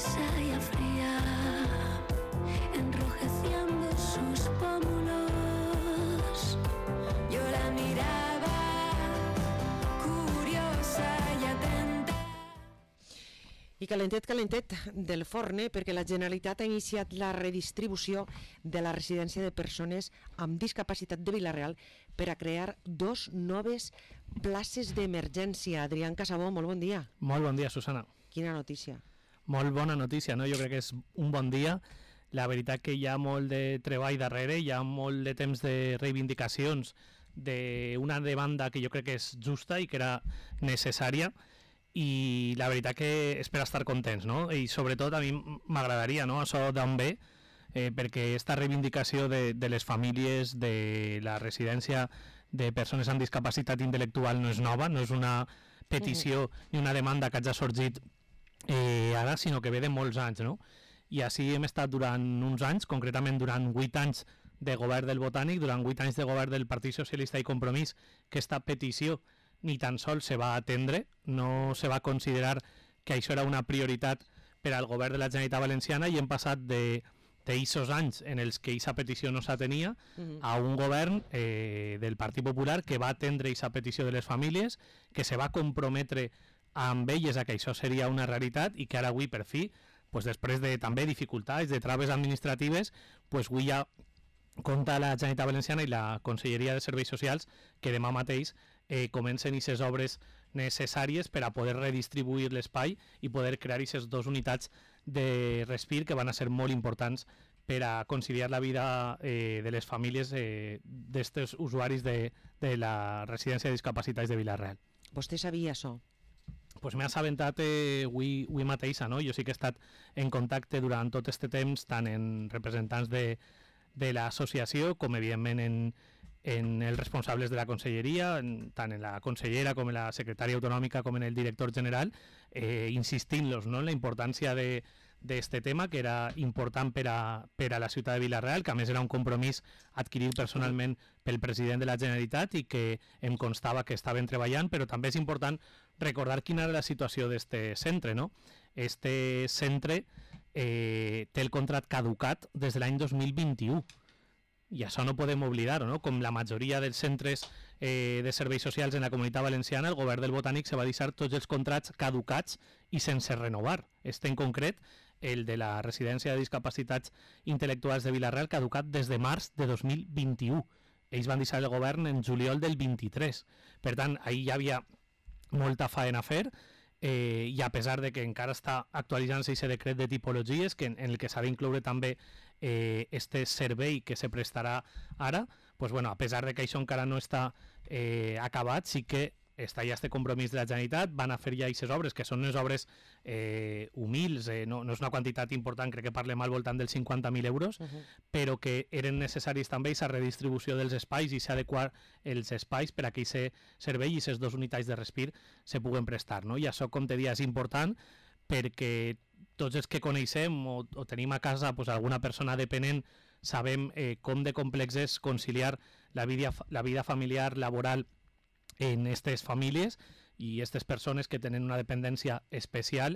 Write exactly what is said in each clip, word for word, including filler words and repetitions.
curiosa y fría, enrojeciendo sus pómulos. Yo la miraba, curiosa y atenta. I calentet, calentet del forn, perquè la Generalitat ha iniciat la redistribució de la residència de persones amb discapacitat de Vila-real per a crear dos noves places d'emergència. Adrián Casabó, molt bon dia. Molt bon dia, Susana. Quina notícia. Molt bona notícia, no? Jo crec que és un bon dia. La veritat que hi ha molt de treball darrere, hi ha molt de temps de reivindicacions d'una demanda que jo crec que és justa i que era necessària, i la veritat que és per estar contents, no? I sobretot a mi m'agradaria, no?, això d'on ve, eh, perquè aquesta reivindicació de, de les famílies, de la residència de persones amb discapacitat intel·lectual no és nova, no és una petició ni una demanda que hagi sorgit eh, ara, sinó que ve de molts anys, no? I així hem estat durant uns anys, concretament durant vuit anys de govern del Botànic, durant vuit anys de govern del Partit Socialista i Compromís, que aquesta petició ni tan sols se va atendre, no se va considerar que això era una prioritat per al govern de la Generalitat Valenciana, i hem passat de d'eixos anys en els que aquesta petició no s'atenia uh-huh. a un govern eh, del Partit Popular que va atendre aquesta petició de les famílies, que se va comprometre amb elles a que això seria una realitat, i que ara avui per fi, pues, després de també dificultats, de traves administratives, pues, avui ja compta la Generalitat Valenciana i la Conselleria de Serveis Socials que demà mateix eh, comencen aquestes obres necessàries per a poder redistribuir l'espai i poder crear aquestes dues unitats de respir que van a ser molt importants per a conciliar la vida eh, de les famílies eh, d'aquests usuaris de, de la residència de discapacitats de Vila-real. Vostè sabia això? Pues m'he assabentat eh, avui, avui mateixa, no? Jo sí que he estat en contacte durant tot aquest temps, tant en representants de de l'associació, com evidentment en, en els responsables de la conselleria, en, tant en la consellera com en la secretària autonòmica com en el director general, eh, insistint-los, no?, en la importància d'aquest tema, que era important per a, per a la ciutat de Vila-real, que a més era un compromís adquirit personalment pel president de la Generalitat i que em constava que estaven treballant, però també és important recordar quina era la situació d'aquest centre, no? Este centre eh, té el contracte caducat des de l'any dos mil vint-i-u, i això no podem oblidar-ho, no? Com la majoria dels centres eh, de serveis socials en la Comunitat Valenciana, el govern del Botànic se va deixar tots els contractes caducats i sense renovar. Este en concret, el de la residència de discapacitats intel·lectuals de Vila-real, caducat des de març de dos mil vint-i-u. Ells van deixar el govern en juliol del vint-i-tres. Per tant, ahir ja havia molta faena a fer, eh, i a pesar de que encara està actualitzant-se aquest decret de tipologies, que en, en el que s'ha d'incloure també eh, este servei que se prestarà ara, pues bueno, a pesar de que això encara no està eh, acabat, sí que està ja este compromís de la Generalitat, van a fer ja aquestes obres, que són unes obres eh, humils, eh, no, no és una quantitat important, crec que parlem al voltant dels cinquanta mil euros, uh-huh. però que eren necessaris també aquesta redistribució dels espais i s'adequar els espais per a que aquest servei i aquestes dues unitats de respir se puguen prestar, no? I això, com te dia, és important perquè tots els que coneixem o, o tenim a casa pues, alguna persona dependent sabem eh, com de complex és conciliar la vida, la vida familiar, laboral, en aquestes famílies i aquestes persones que tenen una dependència especial,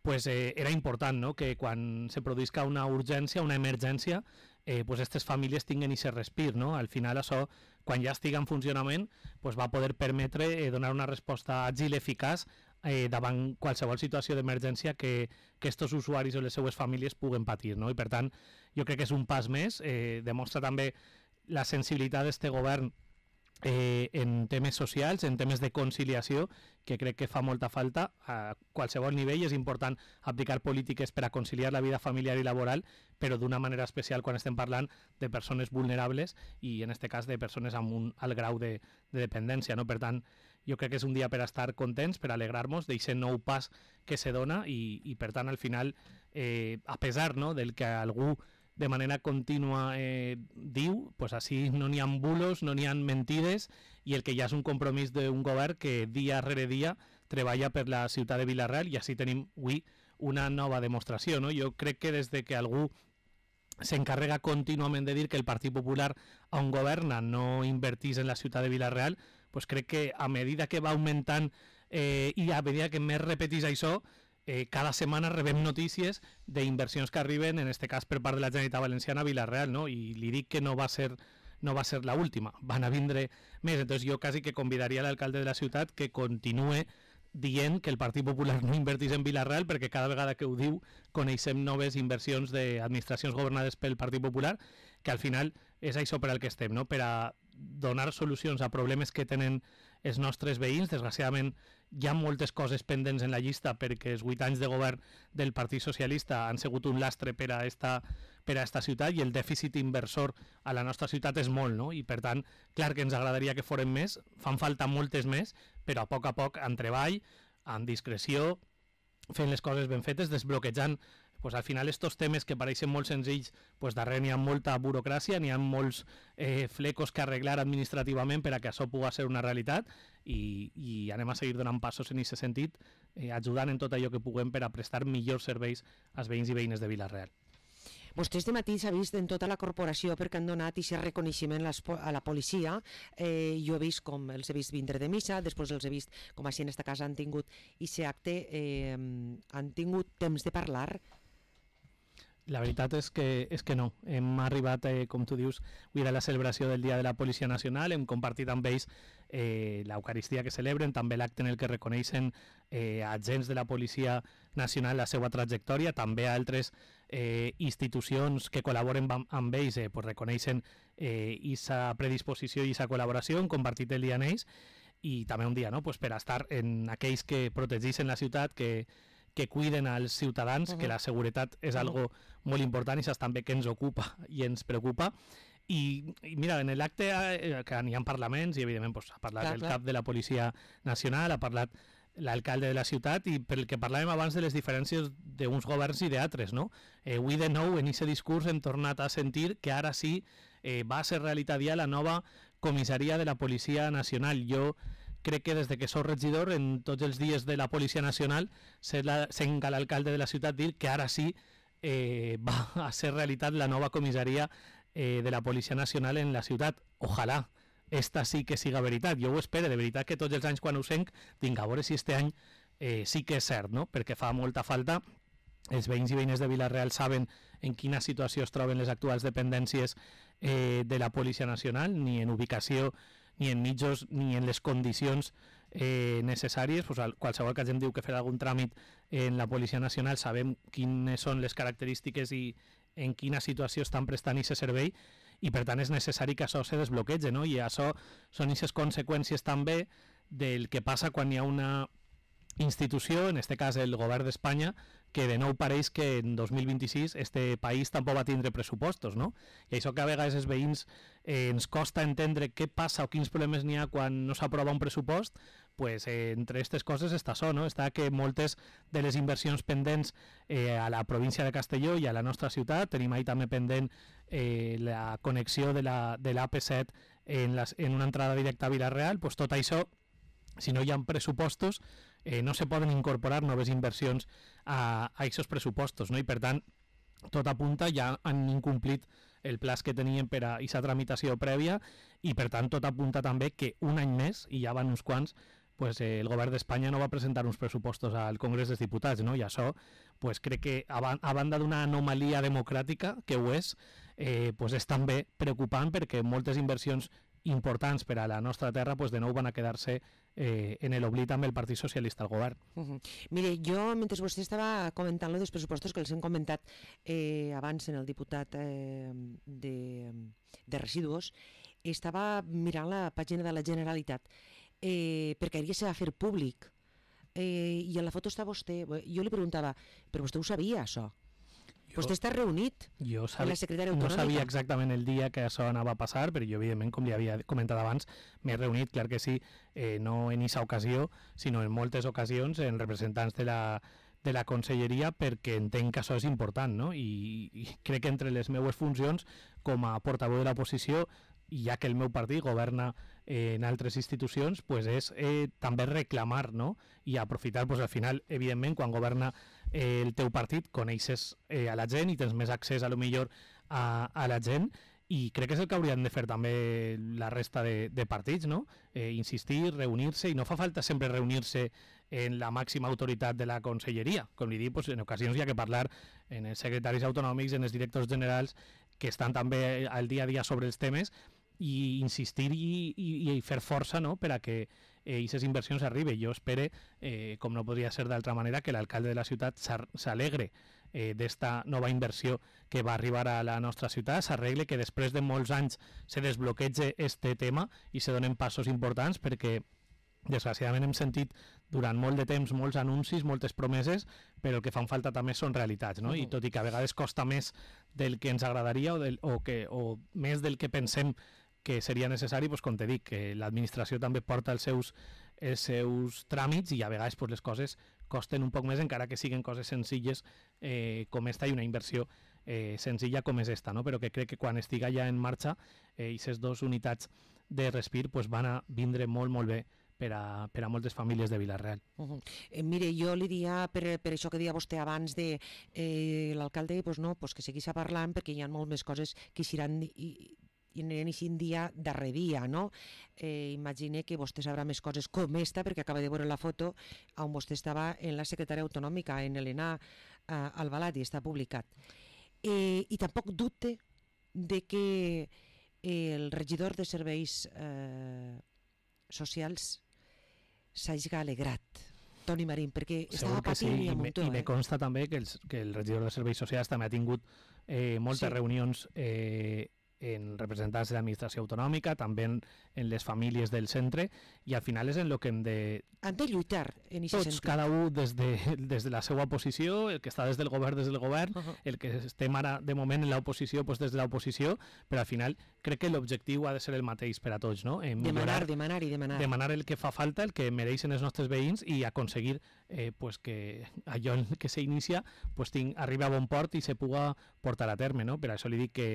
pues eh, era important, no?, que quan se produïsca una urgència, una emergència, eh, pues aquestes famílies tinguen aquest respir, no? Al final això, quan ja estigui en funcionament, pues va poder permetre eh, donar una resposta àgil i eficaç eh, davant qualsevol situació d'emergència que, que estos usuaris o les seues famílies puguen patir, no? I per tant, jo crec que és un pas més, eh, demostra també la sensibilitat d'este govern Eh, en temes socials, en temes de conciliació, que crec que fa molta falta a qualsevol nivell. És important aplicar polítiques per a conciliar la vida familiar i laboral, però d'una manera especial quan estem parlant de persones vulnerables i en aquest cas de persones amb un alt grau de, de dependència, no? Per tant, jo crec que és un dia per a estar contents, per alegrar-nos d'aquest nou pas que se dona i, i per tant al final eh, a pesar, no?, del que algú de manera contínua eh, diu, pues així no n'hi ha bulos, no n'hi ha mentides, i el que ja és un compromís d'un govern que dia rere dia treballa per la ciutat de Vila-real, i així tenim avui una nova demostració, no? Jo crec que des de que algú s'encarrega contínuament de dir que el Partit Popular on governa no invertís en la ciutat de Vila-real, pues crec que a medida que va augmentant eh, i a medida que més repetís això, eh, cada setmana rebem notícies d'inversions que arriben, en este cas per part de la Generalitat Valenciana a Vila-real, no? I li dic que no va ser no va ser l'última, van a vindre més. Entonces jo quasi que convidaria l'alcalde de la ciutat que continue dient que el Partit Popular no invertís en Vila-real, perquè cada vegada que ho diu coneixem noves inversions d'administracions governades pel Partit Popular, que al final és això per al que estem, no? Per a donar solucions a problemes que tenen els nostres veïns. Desgraciadament hi ha moltes coses pendents en la llista perquè els vuit anys de govern del Partit Socialista han sigut un lastre per a esta, per a esta ciutat, i el dèficit inversor a la nostra ciutat és molt, no? I per tant, clar que ens agradaria que foren més, fan falta moltes més, però a poc a poc, en treball, amb discreció, fent les coses ben fetes, desbloquejant. Pues al final estos temes que pareixen molt senzills, pues darrere n'hi ha molta burocràcia, n'hi ha molts eh, flecos que arreglar administrativament per a que això pugui ser una realitat, i, i anem a seguir donant passos en aquest sentit, eh, ajudant en tot allò que puguem per a prestar millors serveis als veïns i veïnes de Vila-real. Vostès de matí s'ha vist en tota la corporació perquè han donat aquest reconeixement a la policia. Eh, jo he vist com els he vist vindre de missa, després els he vist com així en esta casa han tingut aquest acte, eh, han tingut temps de parlar. La veritat és que, és que no. Hem arribat, eh, com tu dius, avui era la celebració del Dia de la Policia Nacional, hem compartit amb ells eh, l'Eucaristia que celebren, també l'acte en el que reconeixen eh, agents de la Policia Nacional la seva trajectòria, també altres eh, institucions que col·laboren amb, amb ells eh, pues reconeixen aquesta eh, predisposició i aquesta col·laboració, hem compartit el dia amb ells, i també un dia, no? Pues per estar en aquells que protegeixen la ciutat, que que cuiden als ciutadans, uh-huh. que la seguretat és uh-huh. algo molt important i és també que ens ocupa i ens preocupa. I, i mira, en l'acte eh, que n'hi ha parlaments, i evidentment pues, ha parlat clar, el clar. cap de la Policia Nacional, ha parlat l'alcalde de la ciutat, i pel que parlàvem abans de les diferències d'uns governs i d'altres, no? Eh, avui de nou en aquest discurs hem tornat a sentir que ara sí eh, va ser realitat ja la nova comissaria de la Policia Nacional. Jo crec que des de que soc regidor, en tots els dies de la Policia Nacional, sent l'alcalde de la ciutat dir que ara sí eh, va a ser realitat la nova comissaria eh, de la Policia Nacional en la ciutat. Ojalà esta sí que siga veritat. Jo ho espero, de veritat, que tots els anys quan ho senc, vinga, a veure si este any eh, sí que és cert, no? Perquè fa molta falta. Els veïns i veïnes de Vila-real saben en quina situació es troben les actuals dependències eh, de la Policia Nacional, ni en ubicació, ni en mitjos, ni en les condicions eh, necessàries. Pues, qualsevol que hagin diu que fer algun tràmit en la Policia Nacional sabem quines són les característiques i en quina situació estan prestant aquest servei, i per tant és necessari que això se desbloquegi, no? I això són aquestes conseqüències també del que passa quan hi ha una institució, en este cas el govern d'Espanya, que de nou pareix que en dos mil vint-i-sis este país tampoc va tindre pressupostos, no? I això que a vegades els veïns eh, ens costa entendre què passa o quins problemes n'hi ha quan no s'aprova un pressupost, pues eh, entre aquestes coses està això, no? Està que moltes de les inversions pendents eh, a la província de Castelló i a la nostra ciutat, tenim ahí també pendent eh, la connexió de la de l'A P set en, les, en una entrada directa a Vila-real, pues tot això, si no hi ha pressupostos, eh, no se poden incorporar noves inversions a aquests pressupostos, no? I per tant, tot apunta, ja han incomplit el pla que tenien per a aquesta tramitació prèvia, i per tant tot apunta també que un any més, i ja van uns quants, pues, eh, el govern d'Espanya no va presentar uns pressupostos al Congrés dels Diputats, no? I això pues, crec que a, ban a banda d'una anomalia democràtica, que ho és, eh, pues, és també preocupant, perquè moltes inversions importants per a la nostra terra pues, de nou van a quedar-se eh, en l'oblit amb el Partit Socialista al govern. Uh -huh. Mire, jo, mentre vostè estava comentant lo dels pressupostos que els hem comentat eh, abans en el diputat eh, de, de residus, estava mirant la pàgina de la Generalitat eh, perquè ahir se va fer públic eh, i en la foto està vostè. Jo li preguntava, però vostè ho sabia, això? Jo, vostè està reunit jo amb la secretària autonòmica. No sabia autonòmica exactament el dia que això anava a passar, però jo, evidentment, com li havia comentat abans, m'he reunit, clar que sí, eh, no en aquesta ocasió, sinó en moltes ocasions, en representants de la, de la conselleria, perquè entenc que això és important, no? I, i crec que entre les meues funcions, com a portaveu de l'oposició, i ja que el meu partit governa eh, en altres institucions, pues és eh, també reclamar, no? I aprofitar, pues, al final, evidentment, quan governa eh, el teu partit, coneixes eh, a la gent i tens més accés, a lo millor, a, a la gent, i crec que és el que haurien de fer també la resta de, de partits, no? Eh, insistir, reunir-se, i no fa falta sempre reunir-se en la màxima autoritat de la conselleria. Com li dic, pues, en ocasions hi ha que parlar en els secretaris autonòmics, en els directors generals, que estan també al dia a dia sobre els temes, i insistir i, i, i fer força, no?, per a que aquestes eh, inversions arriben. Jo espero, eh, com no podria ser d'altra manera, que l'alcalde de la ciutat s'alegre eh, d'esta nova inversió que va arribar a la nostra ciutat, s'arregle que després de molts anys se desbloquege este tema i se donen passos importants, perquè desgraciadament hem sentit durant molt de temps molts anuncis, moltes promeses, però el que fan falta també són realitats, no? Uh-huh. I tot i que a vegades costa més del que ens agradaria o, del, o, que, o més del que pensem que seria necessari, doncs, com te dic, que l'administració també porta els seus, els seus tràmits i a vegades doncs, les coses costen un poc més, encara que siguin coses senzilles eh, com esta, i una inversió eh, senzilla com és esta, no? Però que crec que quan estiga ja en marxa eh, aquestes dues unitats de respir pues, van a vindre molt, molt bé per a, per a moltes famílies de Vila-real. Uh-huh. eh, mire, jo li diria, per, per això que deia vostè abans de eh, l'alcalde, pues no, pues que seguís parlant, perquè hi ha molt més coses que seran i, i aniran així dia darrere dia, no? Eh, imagine que vostè sabrà més coses com esta, perquè acaba de veure la foto on vostè estava en la secretària autonòmica, en Helena eh, Albalat, i està publicat. Eh, I tampoc dubte de que el regidor de serveis eh, socials s'hagi alegrat, Toni Marín, perquè estava patint sí, i a muntó. I me eh? consta també que, els, que el regidor de serveis socials també ha tingut eh, moltes Sí. reunions eh, en representants de l'administració autonòmica, també en, en les famílies del centre, i al final és en el que hem de... Han de lluitar en aquest Tots, sentit. cada un des de, des de la seva posició, el que està des del govern, des del govern, Uh-huh. el que estem ara de moment en l'oposició, pues des de l'oposició, però al final crec que l'objectiu ha de ser el mateix per a tots, no? Eh, Demanar, demanar i demanar. demanar el que fa falta, el que mereixen els nostres veïns, i aconseguir eh, pues que allò que s'inicia pues ting, arribi a bon port i se puga portar a terme, no? Per això li dic que,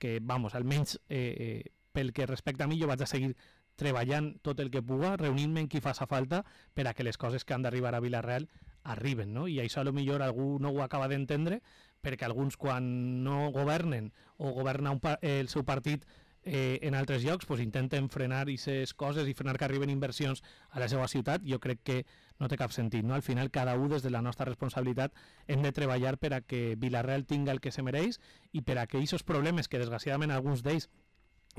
que vamos, almenys eh, eh, pel que respecta a mi, jo vaig a seguir treballant tot el que puga, reunint-me en qui faça falta per a que les coses que han d'arribar a Vila-real arriben, no? I això a lo millor algú no ho acaba d'entendre, perquè alguns quan no governen o governa un pa el seu partit eh, en altres llocs, pues intenten frenar aquestes coses i frenar que arriben inversions a la seva ciutat. Jo crec que no té cap sentit, no? Al final cada un des de la nostra responsabilitat hem de treballar per a que Vila-real tinga el que se mereix i per a que aquests problemes, que desgraciadament alguns d'ells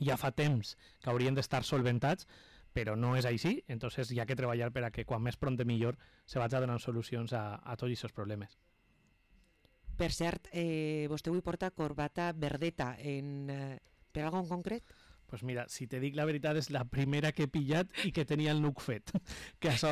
ja fa temps que haurien d'estar solventats, però no és així, entonces hi ha que treballar per a que quan més pront millor se vagi donant solucions a, a tots aquests problemes. Per cert, eh, vostè avui porta corbata verdeta en, eh, per algo en concret? Pues mira, si te dic la veritat, és la primera que he pillat i que tenia el nuc fet. Que això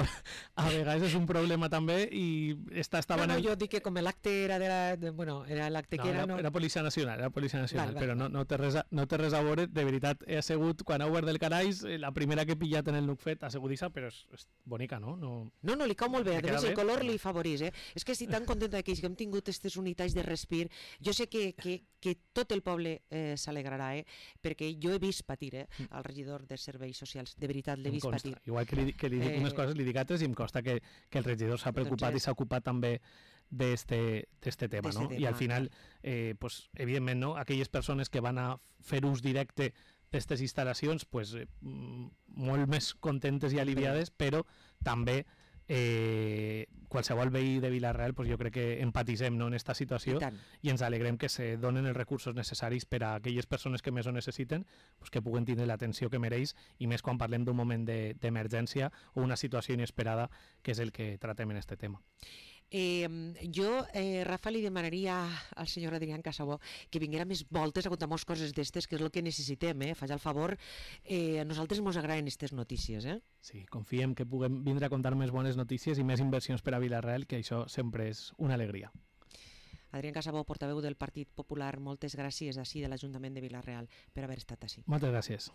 a vegades és un problema també, i esta estava No, no, en el... jo dic que com l'acte era de la... De, bueno, era l'acte No, que era... era, No... era Policia Nacional, era Policia Nacional, Val, val, però no, val. no, té res a, no té res a veure, de veritat, he assegut, quan he obert del caraix, eh, la primera que he pillat en el nuc fet, assegudissa, però és, és bonica, no? no... No, no, li cau molt bé, Li a més queda el bé? color li favoreix, eh? És que estic tan contenta que hem tingut aquestes unitats de respir. Jo sé que, que, que tot el poble eh, s'alegrarà, eh? Perquè jo he vist patir, eh? El regidor de serveis socials, de veritat, l'he Em vist consta. patir. Igual que li, que li dic Eh, unes coses, li dic altres, i em consta que, que el regidor s'ha preocupat Doncs i és- s'ha ocupat també d'este tema, D'este no? tema, I al final, eh, pues, evidentment, no? Aquelles persones que van a fer ús directe d'aquestes instal·lacions, pues, eh, mm, molt més contentes i aliviades, però també eh, qualsevol veí de Vila-real, pues, jo crec que empatitzem, no, en aquesta situació, I tant. i ens alegrem que se donen els recursos necessaris per a aquelles persones que més ho necessiten, pues, que puguen tindre l'atenció que mereix, i més quan parlem d'un moment d'emergència de, o una situació inesperada, que és el que tratem en aquest tema. Eh, jo, eh, Rafa, li demanaria al senyor Adrián Casabó que vinguera més voltes a contar moltes coses d'estes, que és el que necessitem, eh? Faig el favor. Eh, a nosaltres ens agraden aquestes notícies, eh? Sí, confiem que puguem vindre a contar més bones notícies i més inversions per a Vila-real, que això sempre és una alegria. Adrián Casabó, portaveu del Partit Popular, moltes gràcies així de l'Ajuntament de Vila-real per haver estat així. Moltes gràcies.